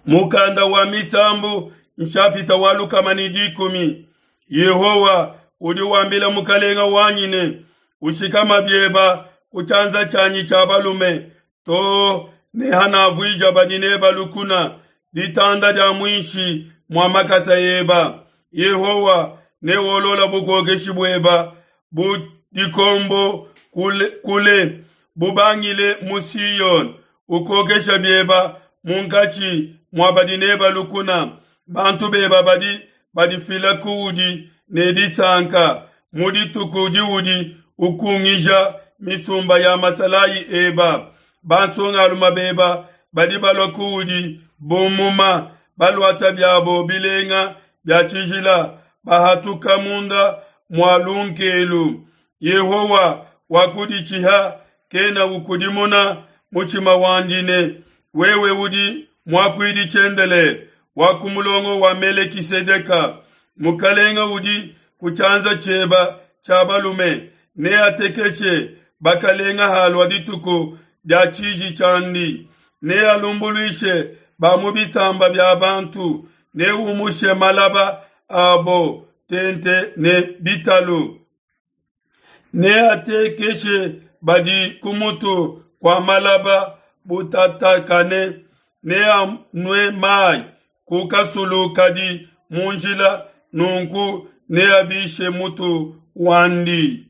Mukanda wa Misambu nshapita wa 110. Yehowa udi wambila mukalenga wanyi ne, ushikama bieba ku tshianza tshianyi tshia balume too ne hanavuija badi neba lukuna ditanda dia muinshi mua makasa eba. Yehowa neolola bukokeshi bueba bu dikombo kule, kule bubangile mu Siyone, ukokesha bieba munkatshi mua badi neba lukuna. Bantu beba badi badifila kuudi ne disanka mu dituku diudi ukungija misumba ya masalayi eba. Bansongalume beba badi balua kuudi bu muma, baluata biabo bilenga bia tshijila, bahatuka munda mua lunkelu. Yehowa wakuditshiha kena ukudimuna mutshima wandi ne, wewe udi muakuidi tshiendelele wa ku mulongo wa Melekisedeka. Mukalenga udi ku tshianza tshieba tshia balume neatekeshe bakalenga halua dituku dia tshiji tshiandi, nealumbuluishe ba mu bisamba bia bantu, neumushe malaba abo tente ne bitalu. Neatekeshe badi ku mutu kua malaba butatakane, neanue mai ku kasulu kadi mu njila, nunku neabishe mutu wandi.